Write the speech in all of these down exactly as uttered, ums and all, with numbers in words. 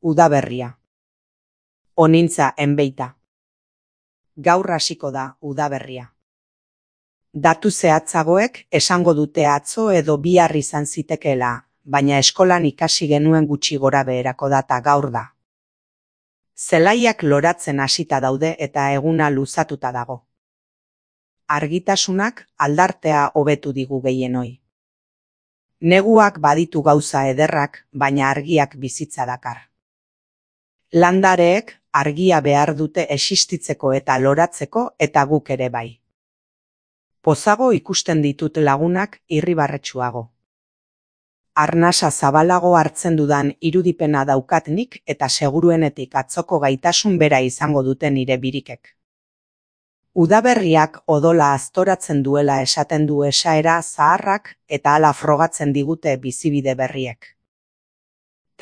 Udaberria. Onintza enbeita. Gaur hasiko da udaberria. Datu zehatzagoek esango dute atzo edo bihar izan zitekeela, baina eskolan ikasi genuen gutxi gora beherako data gaur da. Zelaiak loratzen hasita daude eta eguna luzatuta dago. Argitasunak aldartea hobetu digu gehienoi. Neguak baditu gauza ederrak, baina argiak bizitza dakar. Landareek argia behar dute existitzeko eta loratzeko eta guk ere bai. Pozago ikusten ditut lagunak irribarretsuago. Arnasa zabalago hartzen dudan irudipena daukat nik eta seguruenetik atzoko gaitasun bera izango dute nire birikek. Udaberriak odola aztoratzen duela esaten du esaera zaharrak eta hala frogatzen digute bizibide berriek.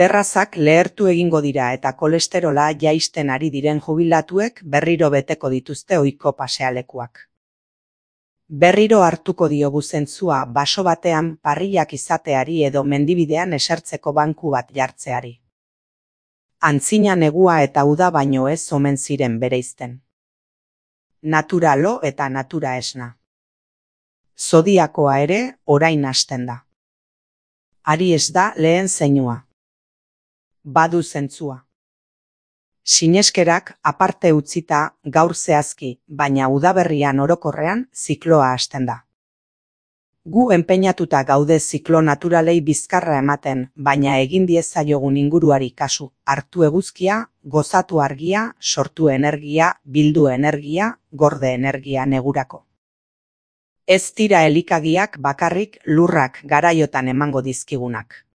Terrazak lehertu egingo dira eta kolesterola jaisten ari diren jubilatuek berriro beteko dituzte ohiko pasealekuak. Berriro hartuko diogu zentzua baso batean parrillak izateari edo mendibidean esertzeko banku bat jartzeari. Antzina negua eta uda baino ez omen ziren bereizten. Natura lo eta natura esna. Zodiakoa ere orain hasten da. Aries da lehen zeinua. Badu zentzua. Sineskerak aparte utzita gaur zehazki, baina udaberrian orokorrean zikloa hasten da. Gu enpeinatuta gaude ziklo naturalei bizkarra ematen, baina egin diezaiogun inguruari kasu, hartu eguzkia, gozatu argia, sortu energia, bildu energia, gorde energia negurako. Ez dira elikagiak bakarrik lurrak garaiotan emango dizkigunak.